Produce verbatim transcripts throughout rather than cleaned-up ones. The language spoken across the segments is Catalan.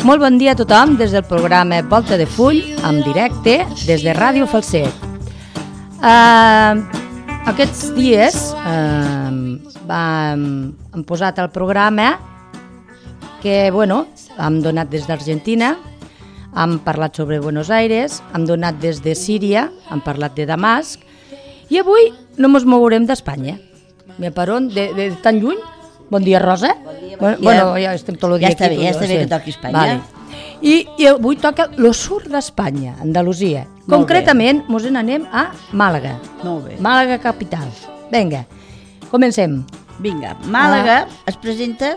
Molt bon dia a tothom des del programa Volta de Full, en directe, des de Ràdio Falset. Uh, aquests dies uh, vam, hem posat el programa que, bueno, hem donat des d'Argentina, hem parlat sobre Buenos Aires, hem donat des de Síria, hem parlat de Damasc, i avui no ens mourem d'Espanya. Per on? De, de tan lluny? Bon dia, Rosa. Bon dia, bon dia. Bueno, ja estem tot el dia ja està aquí. Bé, ja està bé que toqui Espanya. Vale. I, I avui toca lo sur d'Espanya, Andalusia. Molt Concretament, bé. Mos n'anem a Màlaga. Molt bé. Màlaga capital. Vinga, comencem. Vinga, Màlaga ah. es presenta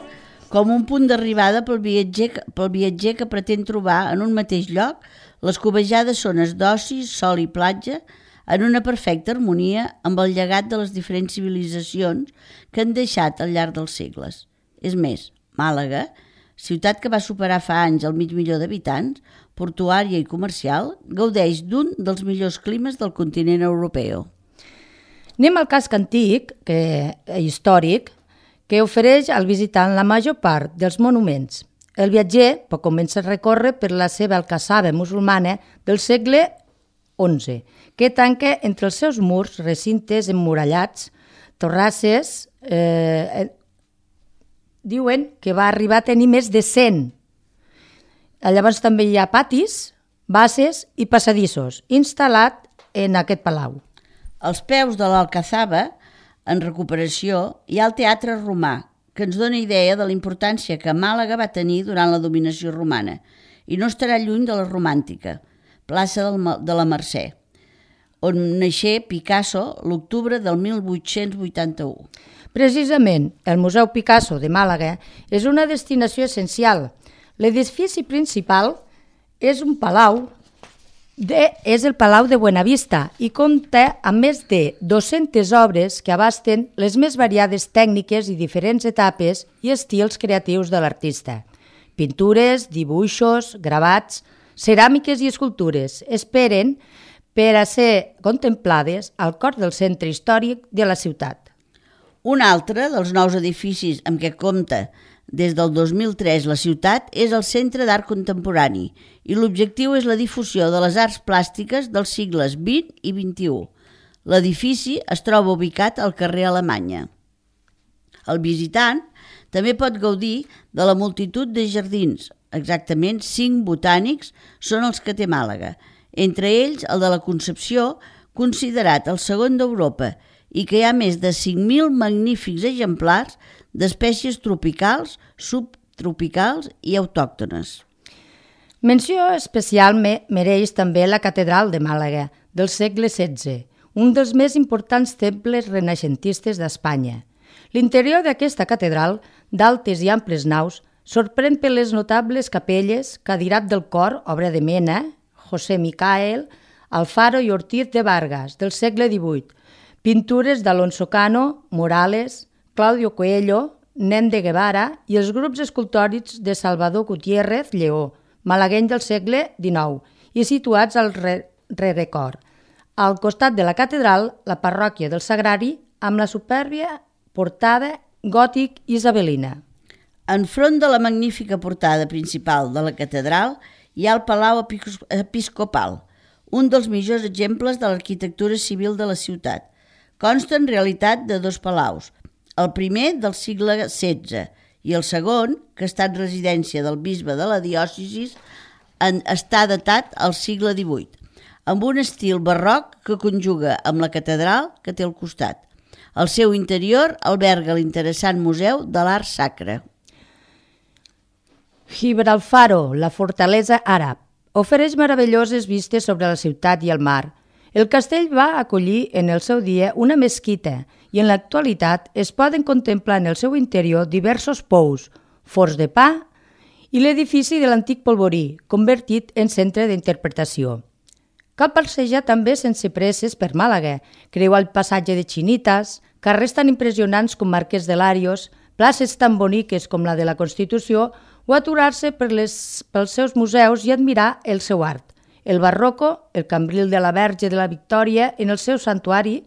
com un punt d'arribada pel viatger, pel viatger que pretén trobar en un mateix lloc les cobejades zones d'oci, sol i platja, en una perfecta harmonia amb el llegat de les diferents civilitzacions que han deixat al llarg dels segles. És més, Màlaga, ciutat que va superar fa anys el mig milió d'habitants, portuària i comercial, gaudeix d'un dels millors climes del continent europeu. Anem al casc antic, que, històric, que ofereix al visitant la major part dels monuments. El viatger pot començar a recórrer per la seva alcassaba musulmana del segle onze, que tanca entre els seus murs recintes emmurallats, torrasses, eh, diuen que va arribar a tenir més de cent. Llavors també hi ha patis, bases i passadissos, instal·lat en aquest palau. Als peus de l'Alcazaba, en recuperació, hi ha el Teatre Romà, que ens dona idea de la importància que Màlaga va tenir durant la dominació romana, i no estarà lluny de la romàntica, plaça de la Mercè, on naixé Picasso l'octubre del mil vuit-cents vuitanta-u. Precisament, el Museu Picasso de Màlaga és una destinació essencial. L'edifici principal és un palau, de, és el Palau de Buenavista i compta amb més de dues-centes obres que abasten les més variades tècniques i diferents etapes i estils creatius de l'artista. Pintures, dibuixos, gravats, ceràmiques i escultures esperen per a ser contemplades al cor del centre històric de la ciutat. Un altre dels nous edificis amb què compta des del dos mil tres la ciutat és el Centre d'Art Contemporani i l'objectiu és la difusió de les arts plàstiques dels segles vint i vint-i-u. L'edifici es troba ubicat al carrer Alemanya. El visitant també pot gaudir de la multitud de jardins. Exactament cinc botànics són els que té Màlaga, entre ells el de la Concepció, considerat el segon d'Europa, i que hi ha més de cinc mil magnífics exemplars d'espècies tropicals, subtropicals i autòctones. Menció especial mereix també la Catedral de Màlaga, del segle setze, un dels més importants temples renaixentistes d'Espanya. L'interior d'aquesta catedral, d'altes i amples naus, sorprèn per les notables capelles, Cadirat del Cor, obra de Mena, José Micael, Alfaro i Ortiz de Vargas, del segle divuit, pintures d'Alonso Cano, Morales, Claudio Coelho, Nen de Guevara i els grups escultòrics de Salvador Gutiérrez Lleó, malagueny del segle dinou, i situats al rerecor. Al costat de la catedral, la parròquia del Sagrari, amb la supèrbia portada gòtic isabelina. Enfront de la magnífica portada principal de la catedral hi ha el Palau Episcopal, un dels millors exemples de l'arquitectura civil de la ciutat. Consta en realitat de dos palaus, el primer del segle setze i el segon, que ha estat residència del bisbe de la diòcesi, està datat al segle divuit, amb un estil barroc que conjuga amb la catedral que té al costat. El seu interior alberga l'interessant Museu de l'Art Sacre. Gibralfaro, la fortalesa àrab, ofereix meravelloses vistes sobre la ciutat i el mar. El castell va acollir en el seu dia una mesquita i en l'actualitat es poden contemplar en el seu interior diversos pous, forns de pa i l'edifici de l'antic polvorí, convertit en centre d'interpretació. Cal passejar també sense presses per Màlaga, creuar el passatge de Xinitas, carrers tan impressionants com Marquès de Larios, places tan boniques com la de la Constitució o aturar-se per les, pels seus museus i admirar el seu art. El barroco, el cambril de la Verge de la Victòria en el seu santuari,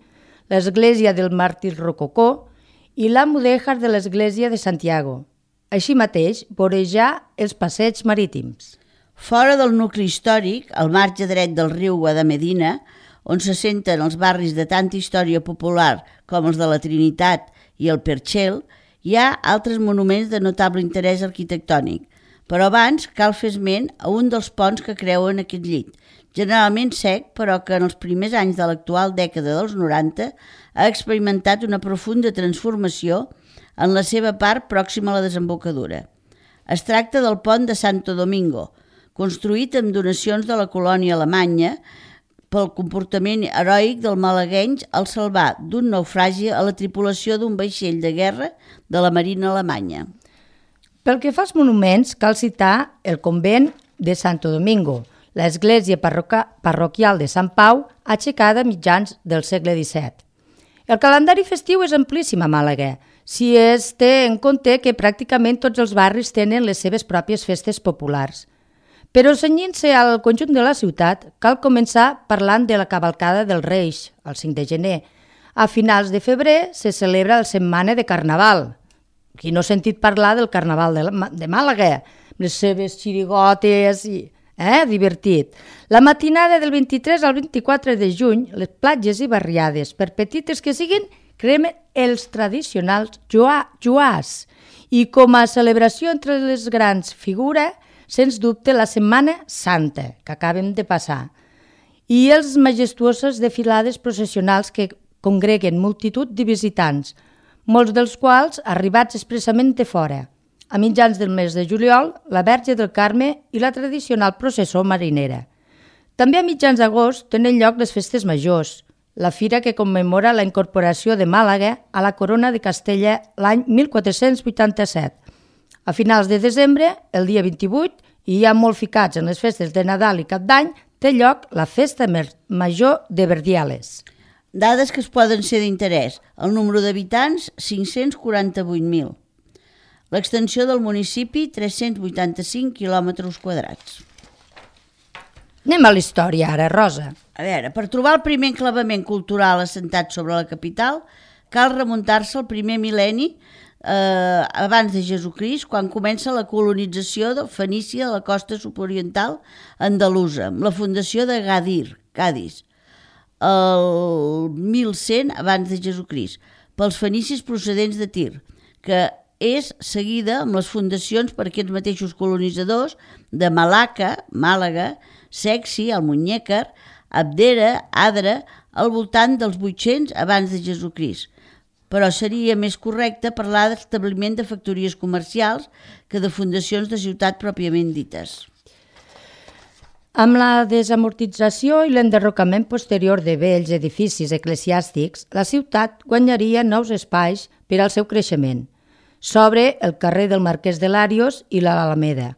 l'església del Màrtir Rococó i la mudèjar de l'església de Santiago. Així mateix, vorejar els passeigs marítims. Fora del nucli històric, al marge dret del riu Guadamedina, on s'assenten els barris de tanta història popular com els de la Trinitat i el Perxel, hi ha altres monuments de notable interès arquitectònic, però abans cal fer esment a un dels ponts que creuen aquest llit, generalment sec, però que en els primers anys de l'actual dècada dels noranta ha experimentat una profunda transformació en la seva part pròxima a la desembocadura. Es tracta del pont de Santo Domingo, construït amb donacions de la colònia alemanya pel comportament heroic del malagueny al salvar d'un naufragi a la tripulació d'un vaixell de guerra de la Marina alemanya. Pel que fa als monuments, cal citar el convent de Santo Domingo, l'església parroca- parroquial de Sant Pau, aixecada a mitjans del segle disset. El calendari festiu és amplíssim a Màlaga, si es té en compte que pràcticament tots els barris tenen les seves pròpies festes populars. Però cenyint-se al conjunt de la ciutat, cal començar parlant de la cavalcada dels Reis, el cinc de gener. A finals de febrer se celebra la setmana de Carnaval. Qui no ha sentit parlar del Carnaval de, la, de Màlaga? Les seves xirigotes i... Eh? Divertit. La matinada del vint-i-tres al vint-i-quatre de juny, les platges i barriades, per petites que siguin, cremen els tradicionals joà, joàs. I com a celebració entre les grans figura, sens dubte, la Setmana Santa, que acabem de passar, i els majestuoses desfilades processionals que congreguen multitud de visitants, molts dels quals arribats expressament de fora. A mitjans del mes de juliol, la Verge del Carme i la tradicional processó marinera. També a mitjans d'agost tenen lloc les festes majors, la fira que commemora la incorporació de Màlaga a la Corona de Castella l'any mil quatre-cents vuitanta-set. A finals de desembre, el dia vint-i-vuit, i ja molt ficats en les festes de Nadal i Cap d'Any, té lloc la Festa Major de Verdiales. Dades que es poden ser d'interès. El número d'habitants, cinc-cents quaranta-vuit mil. L'extensió del municipi, tres-cents vuitanta-cinc quilòmetres quadrats. Anem a la història ara, Rosa. A veure, per trobar el primer enclavament cultural assentat sobre la capital, cal remuntar-se al primer mil·lenni eh, abans de Jesucrist, quan comença la colonització de Fenícia de la costa sud-oriental andalusa, amb la fundació de Gadir, Cadis, el mil cent abans de Jesucrist, pels fenicis procedents de Tir, que és seguida amb les fundacions per aquests mateixos colonitzadors de Malaca, Màlaga, Sexi, Almuñécar, Abdera, Adra, al voltant dels vuit-cents abans de Jesucrist. Però seria més correcte parlar d'establiment de factories comercials que de fundacions de ciutat pròpiament dites. Amb la desamortització i l'enderrocament posterior de vells edificis eclesiàstics, la ciutat guanyaria nous espais per al seu creixement. S'obre el carrer del Marquès de Larios i l'Alameda.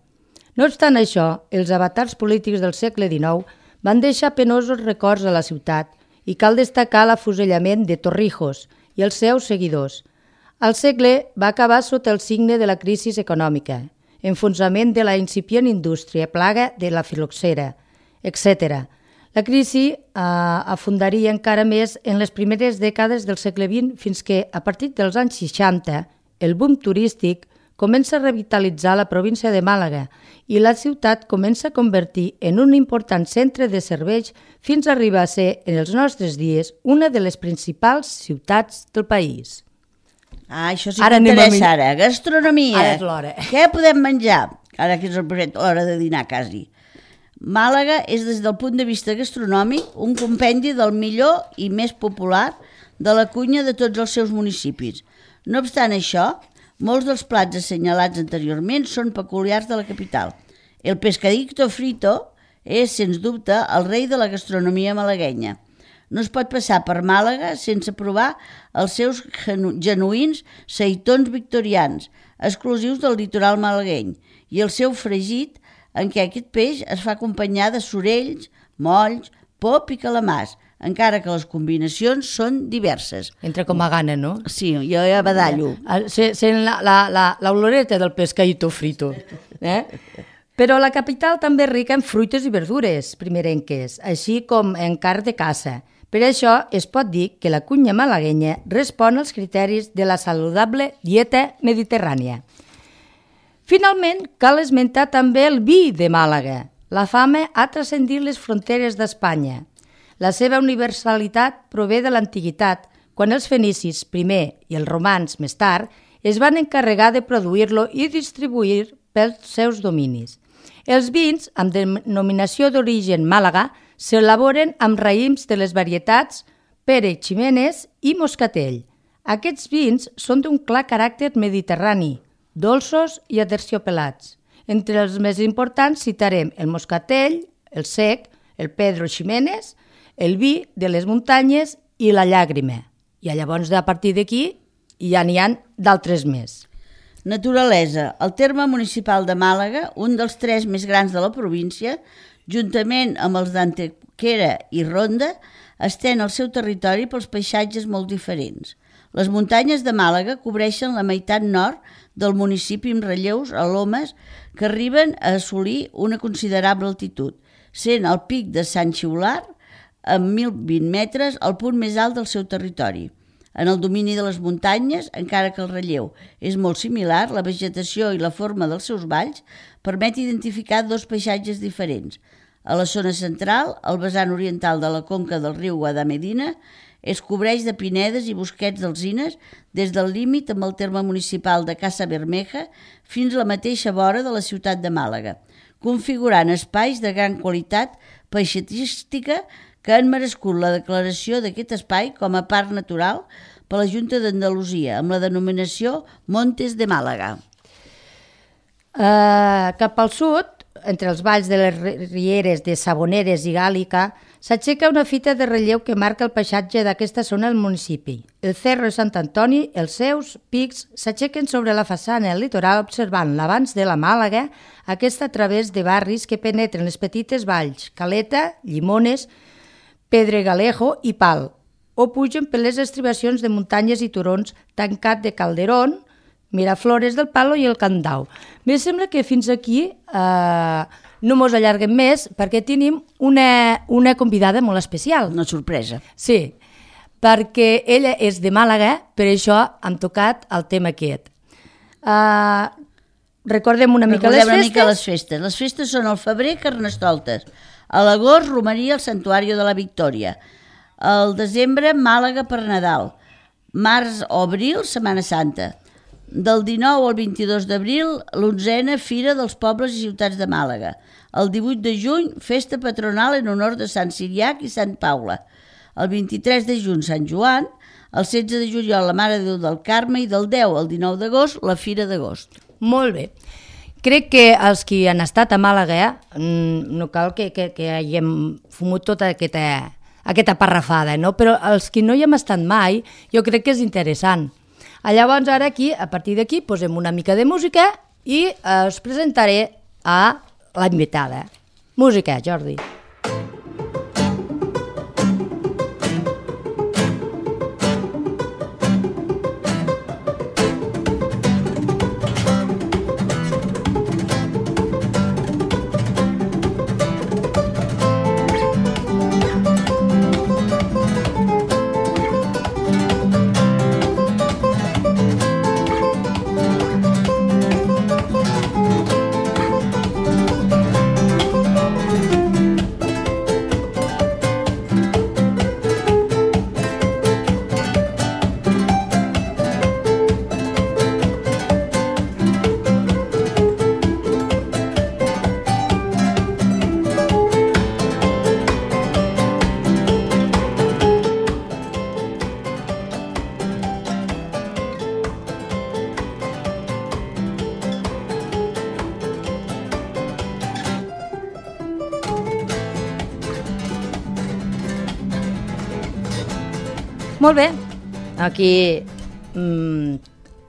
No obstant això, els avatars polítics del segle dinou van deixar penosos records a la ciutat i cal destacar l'afusellament de Torrijos i els seus seguidors. El segle va acabar sota el signe de la crisi econòmica, enfonsament de la incipient indústria, plaga de la filoxera, etcètera. La crisi eh, afundaria encara més en les primeres dècades del segle vint fins que, a partir dels anys seixanta, el boom turístic comença a revitalitzar la província de Màlaga i la ciutat comença a convertir en un important centre de serveis fins a arribar a ser, en els nostres dies, una de les principals ciutats del país. Ah, això sí que m'interessa ara. Gastronomia. Ara és l'hora. Què podem menjar? Ara que és l'hora de dinar, quasi. Màlaga és, des del punt de vista gastronòmic, un compendi del millor i més popular de la cuina de tots els seus municipis. No obstant això, molts dels plats assenyalats anteriorment són peculiars de la capital. El pescadito frito és, sens dubte, el rei de la gastronomia malaguenya. No es pot passar per Màlaga sense provar els seus genuïns seitons victorians, exclusius del litoral malagueny, i el seu fregit, en què aquest peix es fa acompanyar de sorells, molls, pop i calamars, encara que les combinacions són diverses. Entra com a gana, no? Sí, jo ja badallo. Sent la, la, la, l'oloreta del pescadito frito. Eh? Però la capital també és rica en fruites i verdures primerenques, així com en carn de caça. Per això es pot dir que la cuina malaguenya respon als criteris de la saludable dieta mediterrània. Finalment, cal esmentar també el vi de Màlaga. La fama ha transcendit les fronteres d'Espanya. La seva universalitat prové de l'antiguitat, quan els fenicis, primer, i els romans, més tard, es van encarregar de produir-lo i distribuir pels seus dominis. Els vins, amb denominació d'origen Màlaga, s'elaboren amb raïms de les varietats Pere Ximenes i Moscatell. Aquests vins són d'un clar caràcter mediterrani, dolços i aterciopelats. Entre els més importants citarem el Moscatell, el Sec, el Pedro Ximenes, el vi de les muntanyes i la llàgrima. I llavors, a partir d'aquí, ja n'hi ha d'altres més. Naturalesa. El terme municipal de Màlaga, un dels tres més grans de la província, juntament amb els d'Antequera i Ronda, estén el seu territori pels paisatges molt diferents. Les muntanyes de Màlaga cobreixen la meitat nord del municipi amb relleus a lomes que arriben a assolir una considerable altitud, sent el pic de Sant Xiular, amb mil vint metres, el punt més alt del seu territori. En el domini de les muntanyes, encara que el relleu és molt similar, la vegetació i la forma dels seus valls permet identificar dos paisatges diferents. A la zona central, el vessant oriental de la conca del riu Guadamedina es cobreix de pinedes i bosquets d'alzines des del límit amb el terme municipal de Casa Bermeja fins a la mateixa vora de la ciutat de Màlaga, configurant espais de gran qualitat paisatgística que han merescut la declaració d'aquest espai com a parc natural per la Junta d'Andalusia, amb la denominació Montes de Màlaga. Uh, cap al sud, entre els valls de les rieres de Saboneres i Gàlica, s'aixeca una fita de relleu que marca el paisatge d'aquesta zona del municipi. El Cerro de Sant Antoni, els seus pics, s'aixequen sobre la façana del litoral observant l'avanç de la Màlaga, aquesta a través de barris que penetren les petites valls, Caleta, Llimones, Pedregalejo i Pal, o pugen per les estribacions de muntanyes i turons tancat de Calderón, Miraflores del Palo i el Candau. Em sembla que fins aquí eh, no mos allarguem més perquè tenim una, una convidada molt especial. Una sorpresa. Sí, perquè ella és de Màlaga, per això hem tocat el tema aquest. Uh, recordem una mica recordem les una festes. Mica les festes. Les festes són al febrer, Carnestoltes. A l'agost, romeria al Santuari de la Victòria. Al desembre, Màlaga per Nadal. Març o abril, Setmana Santa. Del dinou al vint-i-dos d'abril, l'onzena Fira dels Pobles i Ciutats de Màlaga. El divuit de juny, festa patronal en honor de Sant Siriac i Sant Paula. El vint-i-tres de juny, Sant Joan. El setze de juliol, la Mare de Déu del Carme. I del deu al dinou d'agost, la Fira d'agost. Molt bé. Crec que els que han estat a Màlaga no cal que, que, que haguem fumut tota aquesta, aquesta parrafada, no? Però els que no hi hem estat mai, jo crec que és interessant. Llavors ara aquí, a partir d'aquí, posem una mica de música i eh, us presentaré a la invitada. Música, Jordi. Molt bé, aquí mmm,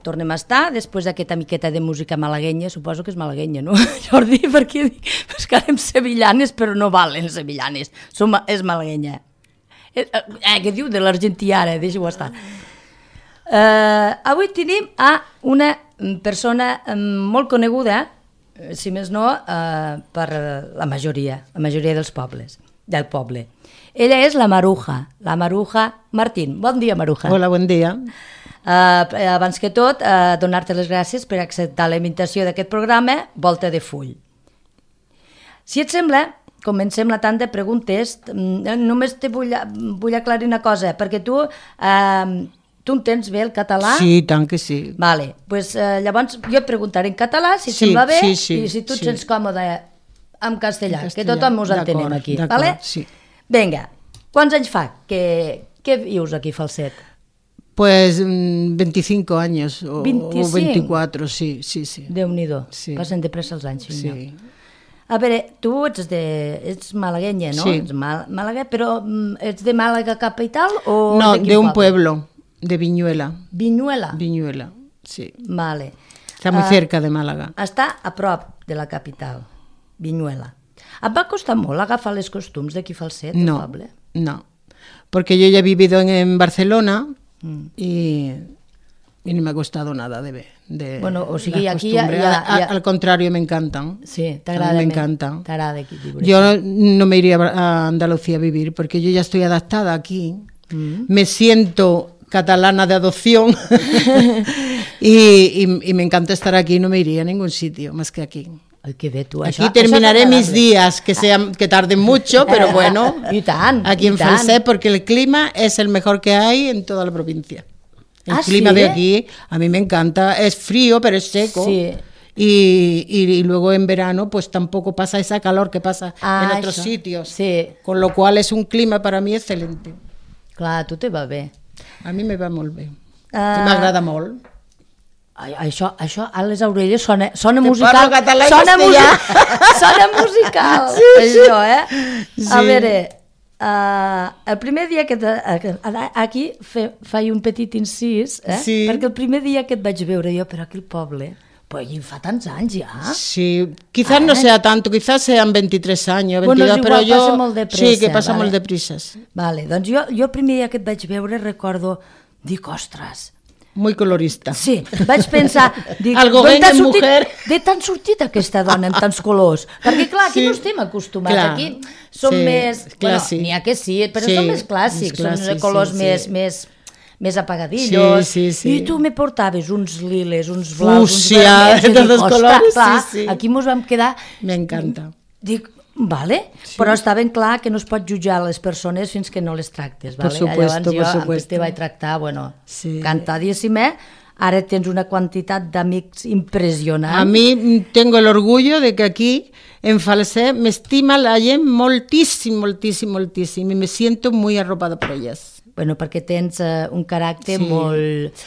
tornem a estar després d'aquesta miqueta de música malaguenya, suposo que és malaguenya, no, Jordi? Perquè dic, és que anem sevillanes, però no valen sevillanes, Som, és malaguenya. Eh, eh, què diu de l'argentí ara? Deixa-ho estar. Eh, avui tenim a una persona molt coneguda, si més no, eh, per la majoria, la majoria dels pobles. del poble. Ella és la Maruja, la Maruja Martín. Bon dia, Maruja. Hola, bon dia. Uh, abans que tot, uh, donar-te les gràcies per acceptar la invitació d'aquest programa Volta de Full. Si et sembla, comencem la tanda de preguntes. Només te vull, vull aclarir una cosa, perquè tu, uh, tu entens bé el català? Sí, tant que sí. Vale, pues, uh, llavors jo et preguntaré en català, si et sí, sembla bé, sí, sí, i si tu et sí. sents còmode en castellà, en castellà, que tothom us entenem aquí. Vale? Sí. Vinga, quants anys fa que, que vius aquí a Falset? Pues veinticinco años o, veinticinc? o veinticuatro, sí, sí, sí. Déu-n'hi-do, sí. Passen de pressa els anys. Sí. A veure, tu ets, de, ets malaguenya, no? Sí. Ets mal, Màlaga, però ets de Màlaga capital o no, de, de un pueblo, de Viñuela. Viñuela? Viñuela, sí. Vale. Está muy uh, cerca de Málaga. Està a prop de la capital, Viñuela. Et va costar molt agafar les costums d'aquí Falset, no, el poble? No, porque yo ya he vivido en, en Barcelona mm. y, y no me ha costado nada de, de bueno, o sigui, las aquí costumbres. Ja, ja, ja... Al contrario, me encantan. Sí, t'agrada. Me encantan. T'agrada aquí viure. Yo no me iría a Andalucía a vivir porque yo ya estoy adaptada aquí. Mm. Me siento catalana de adopción y, y, y me encanta estar aquí. No me iría a ningún sitio más que aquí. Ay, que bé, tu. Aquí això, terminaré això mis días, que, sean, que tarden mucho, pero bueno, I tant, aquí i en tant. Falset, porque el clima es el mejor que hay en toda la provincia. El ¿Ah, clima sí? de aquí, a mí me encanta, es frío, pero es seco. Sí. Y, y, y luego en verano, pues tampoco pasa esa calor que pasa ah, en otros això. sitios. Sí. Con lo cual es un clima para mí excelente. Clar, a tu te va bé. A mi me va molt bé. Uh, M'agrada molt. Ai, això, això a les orelles sona, sona Te musical. parlo català i sona, castellà. sona musical, sí, això, eh? Sí. A veure, uh, el primer dia que... Te, aquí fe, faig un petit incís, eh? Sí. Perquè el primer dia que et vaig veure jo per aquí al poble, pues fa tants anys ja. Sí, quizás ah, no sea tanto, quizás sean veintitrés años, veintidós, bueno, pero igual, yo... passa molt de pressa, sí, que pasa vale? molt de prisas. Vale, doncs jo, jo el primer dia que et vaig veure recordo, dic, ostres... Muy colorista. Sí, vaig pensar, dic, Algo d'on t'ha en sortit, mujer. de tant sortit aquesta dona amb tants colors? Perquè clar, aquí Sí. no estem acostumats, Clar. aquí som Sí, més, clàssic. bueno, n'hi ha que sí, però Sí, som més clàssics, més clàssic, són colors sí, més, sí. més, més apagadillos, Sí, sí, sí. i tu me portaves uns liles, uns blaus, Fúcsia, uns vermells, de i dic, tots ostres, colors, clar, sí, sí. aquí mos vam quedar... Me encanta. Dic, vale, sí. Però està ben clar que no es pot jutjar les persones fins que no les tractes, vale? Por supuesto, Llavors jo, por supuesto. te vaig tractar, bueno, Sí. encantadíssima. Ara tens una quantitat d'amics impressionant. A mí tengo el orgullo de que aquí en Falset me estima la gent moltíssim, moltíssim, moltíssim y me siento muy arropada por ellas. Bueno, perquè tens uh, un caràcter Sí. molt...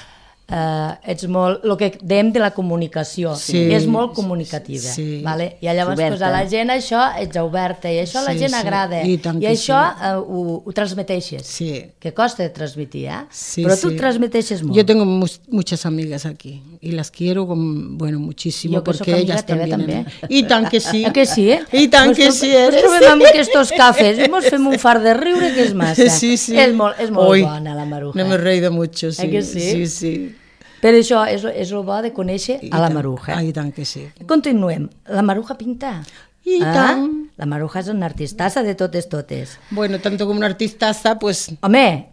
Uh, ets molt... El que dèiem de la comunicació. Sí. És molt comunicativa. Sí. Vale? I llavors Oberta. pues, a la gent això ets oberta i això a la Sí, gent sí. agrada. I tant I que això sí. uh, ho, ho transmeteixes. Sí. Que costa de transmitir, eh? Sí, Però tu sí. transmeteixes molt. Yo tengo mu muchas amigas aquí y las quiero, con, bueno, muchísimo, Yo que porque soc amiga ellas teva, también. també. Y tan que sí. Ah, que sí, eh? I tant que sí Ens eres. trobem amb aquests cafès i mos fem un fart de riure que és massa. Sí, sí. És molt, és molt Hoy bona la Maruja. No me he reído mucho, sí. Eh que sí? Sí, sí. Per això és, és el bo de conèixer I a la tant. Maruja. Ah, i tant que sí. Continuem. La Maruja pinta. I Ah, tant. La Maruja és una artistassa de totes totes. Bueno, tanto como una artistaza, pues... Home,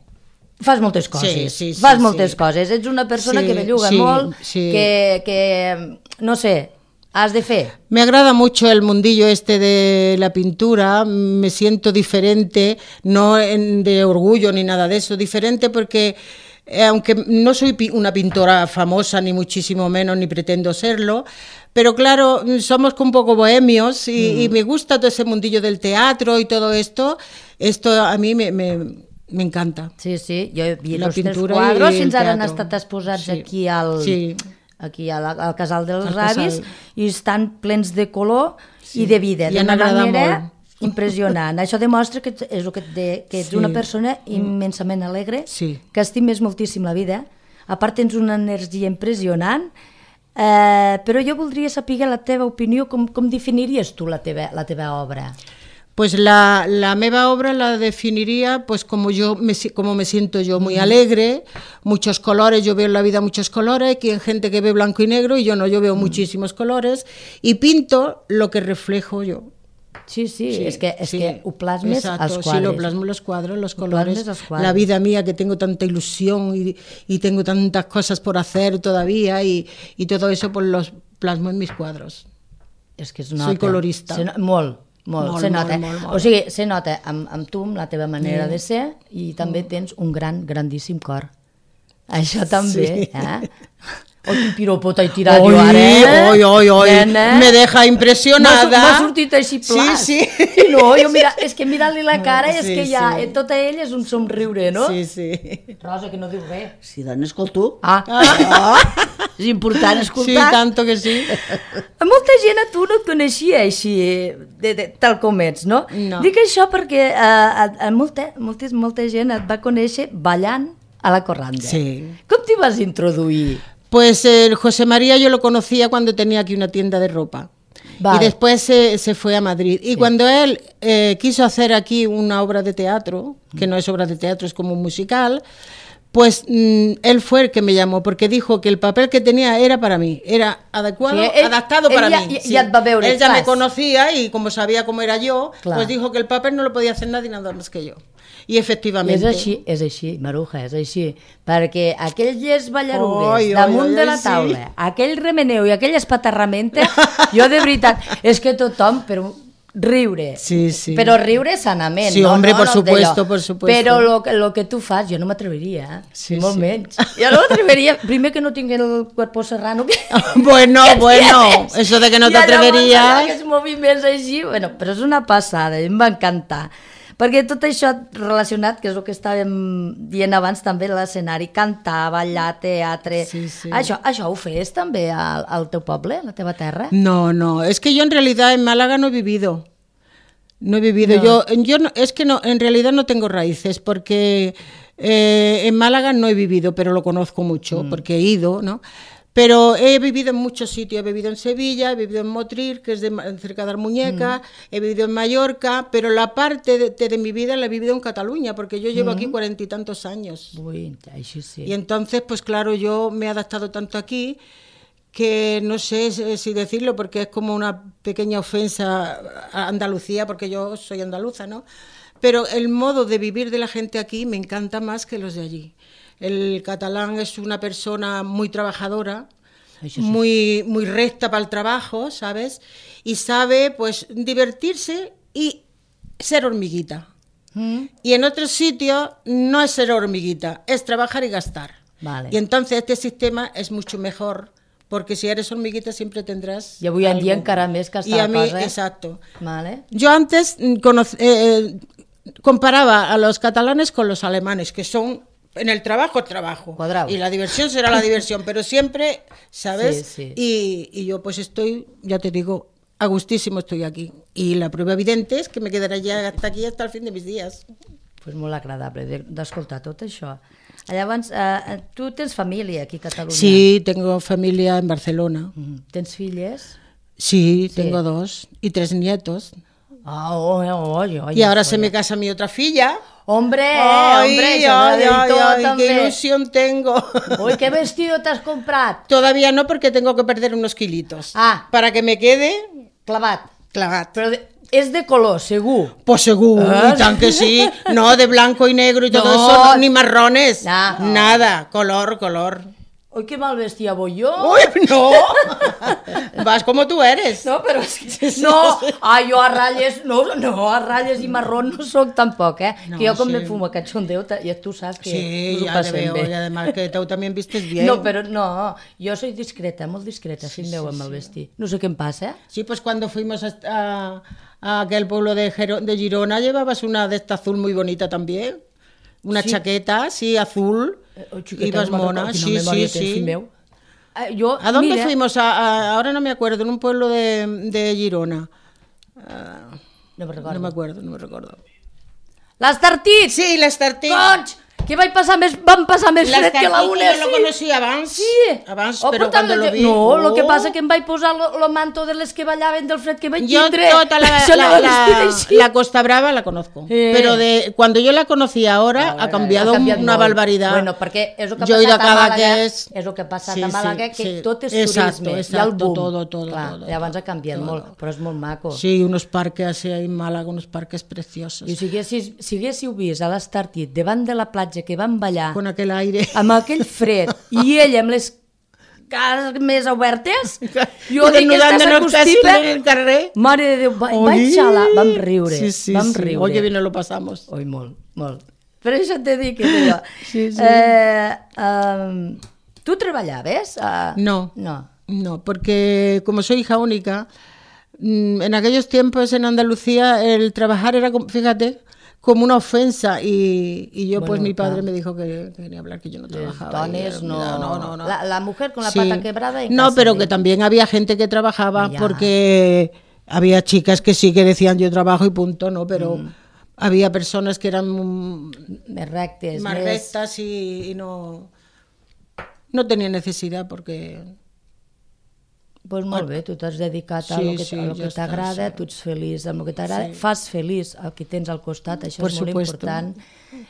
fas moltes coses. Sí, sí, sí, fas sí. moltes coses. Ets una persona Sí, que belluga sí, molt, sí. que, que, no sé, has de fer. Me agrada mucho el mundillo este de la pintura, me siento diferente, no en- de orgullo ni nada de eso, diferente porque eh, aunque no soy pi- una pintora famosa ni muchísimo menos ni pretendo serlo, pero claro, somos un poco bohemios y, mm. y me gusta todo ese mundillo del teatro y todo esto, esto a mí me, me, me encanta. Sí, sí, jo he vist La els teus pintura quadros, i el fins ara han teatro. estat exposats Sí. aquí al... Sí. aquí al, al Casal dels Al Ravis casal. i estan plens de color sí. i de vida, I han d'una agradat manera molt. impressionant. Això demostra que ets, és el que, et de, que ets Sí. una persona immensament alegre, Sí. que estimes moltíssim la vida, a part tens una energia impressionant, eh, però jo voldria saber la teva opinió, com, com definiries tu la teva, la teva obra? Pues la, la meva obra la definiría pues como yo me, si- como me siento yo, muy alegre, muchos colores, yo veo en la vida muchos colores, que hay gente que ve blanco y negro y yo no, yo veo muchísimos colores y pinto lo que reflejo yo. Sí, sí, Sí, es, que, es sí, que ho plasmes exacto, als cuadres. Sí, lo plasmo en los cuadros, los colores, plasmes als quadres. la vida mía que tengo tanta ilusión y, y tengo tantas cosas por hacer todavía y, y todo eso pues los plasmo en mis cuadros. És que es nota. Soy colorista. Se no, molt, molt, Molt, se nota. molt, molt, molt. O sigui, se nota amb, amb tu, amb la teva manera Mm. de ser, i també tens un gran, grandíssim cor. Això també, Sí. eh? Oh, quin piropo t'he tirat Oi, jo ara, eh? oi, oi, oi, Nena. me deja impressionada. M'ha sortit així plas. Sí, sí. I no, jo mira, és que mirant-li la cara és Sí, que ja, sí. eh, tota ella és un somriure, no? Sí, sí. Rosa, que no diu res. Sí, dona, escolta tu. Ah, Oh, és important Sí, escoltar. tanto que sí. molta gent a tu no et coneixia així, de, de, tal com ets, no? No. Dic això perquè eh, a, a molta, molta, molta gent et va conèixer ballant a la corranda. Sí. Com t'hi vas introduir? Pues el José María yo lo conocía cuando tenía aquí una tienda de ropa. Vale. Y después se, se fue a Madrid. Y cuando él eh, quiso hacer aquí una obra de teatro, que no es obra de teatro, es como un musical, pues mm, él fue el que me llamó, porque dijo que el papel que tenía era para mí, era adecuado, Sí, él- adaptado él para ya- mí. ya- ya et va veure, él ya me clar. conocía y como sabía cómo era yo, Clar. pues dijo que el papel no lo podía hacer nadie nada más que yo. Y És efectivamente... així, és així, Maruja, és així. Perquè aquelles ballarugues Oi, oi, damunt oi, de oi, la sí. taula, aquell remeneu i aquella espaterramenta, jo de veritat, és que tothom, però riure, Sí, sí. però riure sanament. Sí, no, hombre, no, por no supuesto, d'allò. por supuesto. Però lo, que- lo que tu fas, jo no m'atreveria, eh? Sí, molt sí. menys. Jo no m'atreveria, primer que no tinc el cuerpo serrano. Que... Bueno, que bueno, tienes. eso de que no I llavors t'atreveries. aquests moviments així, bueno, però és una passada, em va encantar. Perquè tot això relacionat, que és el que estàvem dient abans també, l'escenari, cantar, ballar, teatre... Sí, sí. Això, això ho fes també al, al teu poble, a la teva terra? No, no, es que yo en realidad en Málaga no he vivido. No he vivido. No. Yo, yo no, es que no, en realidad no tengo raíces porque eh, en Málaga no he vivido, pero lo conozco mucho Mm. porque he ido, ¿no? Pero he vivido en muchos sitios, he vivido en Sevilla, he vivido en Motril, que es de, Ma- cerca de Armuñeca, he vivido en Mallorca, pero la parte de, de mi vida la he vivido en Cataluña, porque yo llevo aquí cuarenta y tantos años. Ui, així sí. Y entonces, pues claro, yo me he adaptado tanto aquí que no sé si si decirlo porque es como una pequeña ofensa a Andalucía, porque yo soy andaluza, ¿no? Pero el modo de vivir de la gente aquí me encanta más que los de allí. El catalán es una persona muy trabajadora, Això sí. muy, muy recta para el trabajo, ¿sabes? Y sabe, pues, divertirse y ser hormiguita. Mm? Y en otros sitios no es ser hormiguita, es trabajar y gastar. Vale. Y entonces este sistema es mucho mejor, porque si eres hormiguita siempre tendrás... I avui en dia algo. encara més que Y està a mí, la cosa. exacto. Vale. Yo antes mm, conoc- eh, eh, comparaba a los catalanes con los alemanes, que son... En el trabajo, trabajo. Cuadrados. Y la diversión será la diversión, pero siempre, ¿sabes? Sí, sí. Y, y yo pues estoy, ya te digo, a gustísimo estoy aquí. Y la prueba evidente es que me quedaré ya hasta aquí, hasta el fin de mis días. Pues molt agradable de- d'escoltar tot això. Llavors, eh, tu tens família aquí a Catalunya? Sí, tengo familia en Barcelona. Mhm. Tens filles? Sí, Sí. tengo dos y tres nietos. Ah, oh, oh, oh, oh, Y ahora se me casa mi otra filla. Hombre, Ay, hombre, ay, això ay, de ay, tot ay, també. qué ilusión tengo. Ui, qué vestido t'has comprat? Todavía no, porque tengo que perder unos kilitos. Ah. Para que me quede Clavat. clavat. Però de, és de color, segur. Pues seguro, Ah. y tan que sí. No, de blanco y negro y todo No. eso, no, ni marrones. No. Nada, color, color. Ui, que mal vestia voy jo. Uy, no. Vas como tú eres. No, però és que... No, ah, jo a ratlles, no, no, a ratlles i marrón no soc tampoc, eh? No, que jo com sí. me fumo cachondeo, ta- ja tu saps que Sí, nos ho ya te passem veo. bé. Y además que tú también vistes bien. No, però no, jo soy discreta, molt discreta, fill meu, amb el vestir. No sé què em passa, eh? Sí, pues cuando fuimos a, a- a aquel pueblo de, Gero- de Girona llevabas una de esta azul muy bonita también. Una Sí. chaqueta, sí, azul. Eh, oh, xiqueta, Ibas no me'n mona, recordo, sí, quina memòria sí, tens, sí. fill meu. Eh, jo, ¿A dónde mira, fuimos? A, a- ahora no me acuerdo, en un pueblo de, de Girona. Ah, No me recordo. no me acuerdo, no me recuerdo. L'Estartit! Sí, l'Estartit. Conch! que vaig passar més, vam passar més fred que la una. Yo lo conocí abans, sí. abans Oh, pero però cuando lo vi... No, oh. lo que passa que em vaig posar el manto de les que ballaven del fred que vaig Yo tindre. toda la, Això la, no la, la Costa Brava la conozco, eh. pero de cuando yo la conocí ahora ha cambiado, ha cambiado una molt. barbaridad. Bueno, perquè és el que ha yo he ido a passat a Màlaga, Cadaqués. és el que ha passat Sí, a Màlaga, sí, que sí. tot és Exacto, turisme, exacto, hi ha el boom. todo, todo, Clar, todo, llavors ha canviat todo. molt, però és molt maco. Sí, unos parques así en Málaga, unos parques preciosos. I si haguéssiu, si haguéssiu vist a l'Estartit davant de la platja que van ballar Con aquel aire. amb aquell fred i ell amb les cares més obertes, jo I dic que desnudant-nos aquesta casi costipa, en el carrer. mare de Déu, va, Oi. vaig xalar, vam riure, Sí, sí, vam sí. riure. Oye, bien lo pasamos. Oi, molt, molt. Però això t'he dit que és allò. Sí, sí. Eh, um, tu treballaves? Uh, No. No. No, porque como soy hija única, en aquellos tiempos en Andalucía el trabajar era, como, fíjate, como una ofensa y, y yo Bueno, pues mi padre claro. me dijo que, que quería hablar, que yo no trabajaba. Dones, y, no. no, no, no. La, la mujer con la Sí. pata quebrada en No, casa pero de- que también había gente que trabajaba Ya. porque había chicas que sí que decían yo trabajo y punto, ¿no? Pero Mm. había personas que eran mm, més rectes, más més... rectas y, y no, no tenían necesidad porque... Pues molt bé, tu t'has dedicat a Sí, lo que, sí, a lo ja que està, t'agrada, sí. tu ets feliç amb el que t'agrada, Sí. fas feliç el que tens al costat, això Por és molt supuesto. important.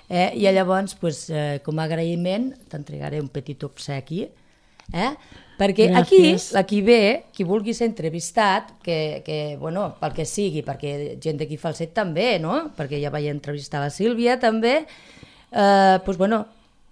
Eh? I llavors, pues, eh, com a agraïment, t'entregaré un petit obsequi, eh? perquè Gràcies. aquí, aquí ve, qui vulgui ser entrevistat, que, que, bueno, pel que sigui, perquè gent d'aquí Falset també, no? Perquè ja vaig entrevistar la Sílvia també, eh, pues, bueno,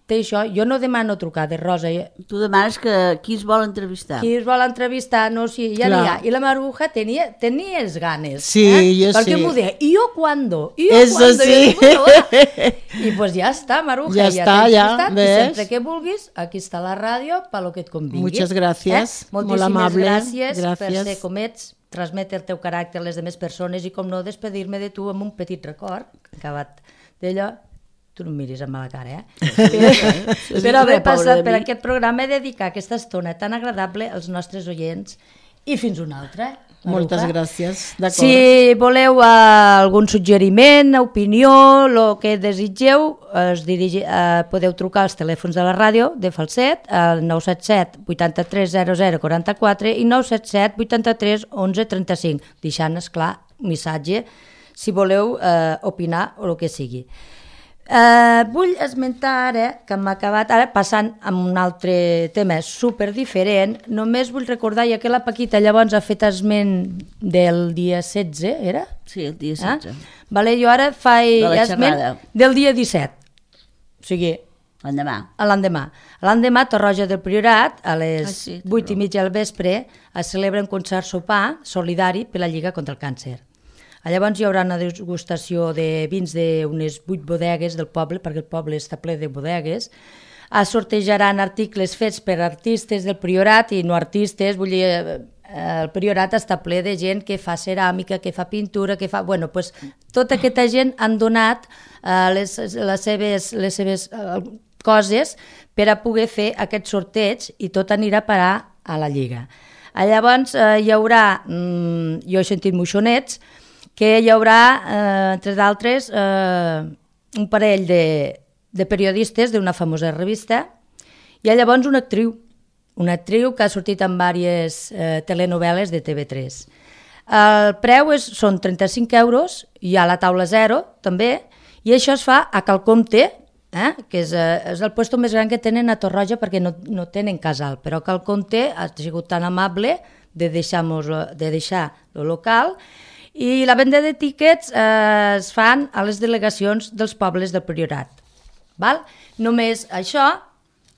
té això, jo no demano trucades, Rosa, Tu demanes que qui es vol entrevistar. qui es vol entrevistar, no, si ja Clar. n'hi ha. I la Maruja tenia, tenia les ganes. Sí, eh? jo Perquè sí. m'ho deia, i jo quando? I jo Eso cuando? sí. I, jo, bueno, va. I pues ja està, Maruja. Ja està, t'he ja, entrevistat, i ves? sempre que vulguis, aquí està la ràdio, per lo que et convingui. Muchas gracias, Eh? molt Moltíssimes amable, gràcies, per gràcies. ser com ets, transmetre el teu caràcter a les demés persones i, com no, despedir-me de tu amb un petit record, acabat d'allò. Tu no em miris amb mala cara, eh? Sí, Per haver pobre passat de per mi. aquest programa i dedicar aquesta estona tan agradable als nostres oients. I fins una altra. Moltes Maruja. gràcies, d'acord. Si voleu uh, algun suggeriment, opinió, el que desitgeu, es dirigi, uh, podeu trucar als telèfons de la ràdio de Falset, al nou set set vuitanta-tres zero zero quaranta-quatre i nou set set vuitanta-tres onze trenta-cinc, deixant, esclar, un missatge si voleu uh, opinar o el que sigui. Uh, vull esmentar ara, que m'ha acabat, ara passant a un altre tema super diferent, només vull recordar, ja que la Paquita llavors ha fet esment del dia setze, era? Sí, el dia Ah? setze. Vale, jo ara faig De la esment xerrada. del dia disset, o sigui, L'endemà. a l'endemà. A l'endemà, a Torroja del Priorat, a les Ah, sí, té vuit i raó. mitja del vespre, es celebra un concert sopar solidari per la Lliga contra el Càncer. Llavors hi haurà una degustació de vins d'unes vuit bodegues del poble, perquè el poble està ple de bodegues. Es sortejaran articles fets per artistes del Priorat i no artistes, vull dir, eh, el Priorat està ple de gent que fa ceràmica, que fa pintura, que fa... Bueno, pues, tota aquesta gent han donat eh, les, les seves, les seves eh, coses per a poder fer aquest sorteig i tot anirà a parar a la Lliga. Llavors eh, hi haurà, mm, jo he sentit moixonets, que hi haurà, eh, entre d'altres, eh, un parell de, de periodistes d'una famosa revista i llavors una actriu, una actriu que ha sortit en diverses eh, telenovel·les de T V tres. El preu és, són trenta-cinc euros, hi ha la taula zero també, i això es fa a Calcomte, eh? que és, eh, és el puesto més gran que tenen a Torroja perquè no, no tenen casal, però Calcomte ha sigut tan amable de deixar, de deixar el local. I la venda de tíquets eh, es fan a les delegacions dels pobles del Priorat. Val? Només això,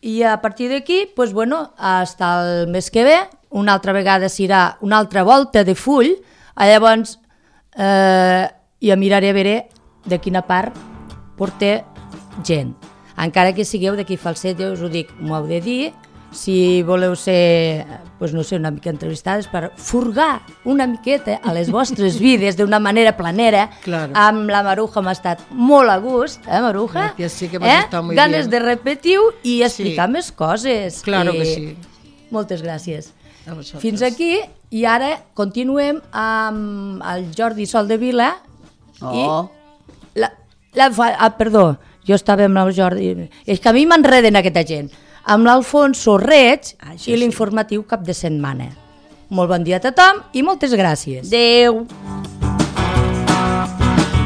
i a partir d'aquí, pues, bueno, fins el mes que ve, una altra vegada serà una altra volta de full, llavors eh, ja miraré a veure de quina part porta gent. Encara que sigueu d'aquí Falset, jo us ho dic, m'ho heu de dir, si voleu ser, pues no sé, una mica entrevistades per furgar una miqueta a les vostres vides d'una manera planera. Claro. Amb la Maruja m'ha estat molt a gust, eh, Maruja? Gràcies, sí que m'has eh? estat molt Ganes bien. de repetir i explicar Sí. més coses. Claro I que sí. Moltes gràcies. A vosaltres. Fins aquí, i ara continuem amb el Jordi Sol de Vila. Oh, I la, la, fa- ah, perdó, Jo estava amb el Jordi... És que a mi m'enreden aquesta gent. Amb l'Alfonso Reig ah, i l'informatiu cap de setmana. Molt bon dia a tothom i moltes gràcies. Adéu.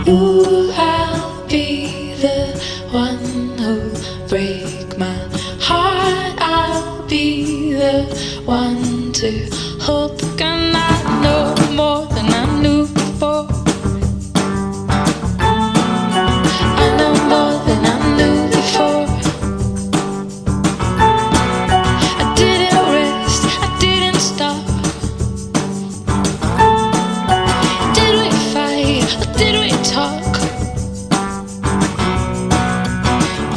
Ooh, I'll be the one who'll break my heart. I'll be the one to hold the gun. I know more than I knew before. I know more than I knew before. I didn't rest, I didn't stop. Did we fight or did we talk?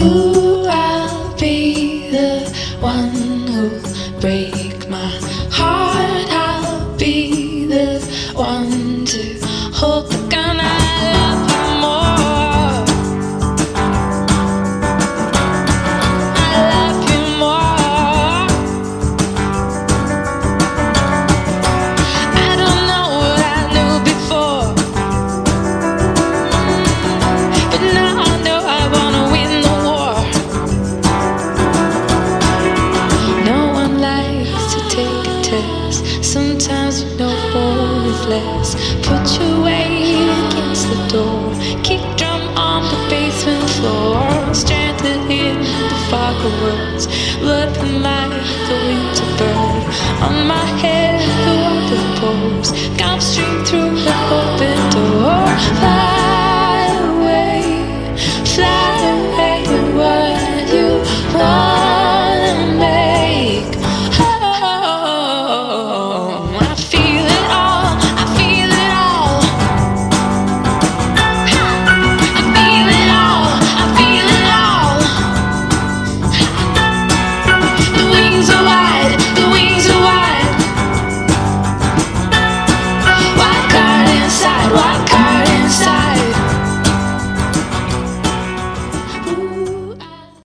Ooh, I'll be the one who'll break my heart. I'll be the one to hold the gun. I love you more. I love you more. I don't know what I knew before, but now I know I wanna win the war. No one likes to take a test. Sometimes you know more is less. Put your weight against the door. Kick drum on the basement floor. Stranded in the fog of words. Looking like the winter bird. On my head the water pours. Gone straight through the open door. Fly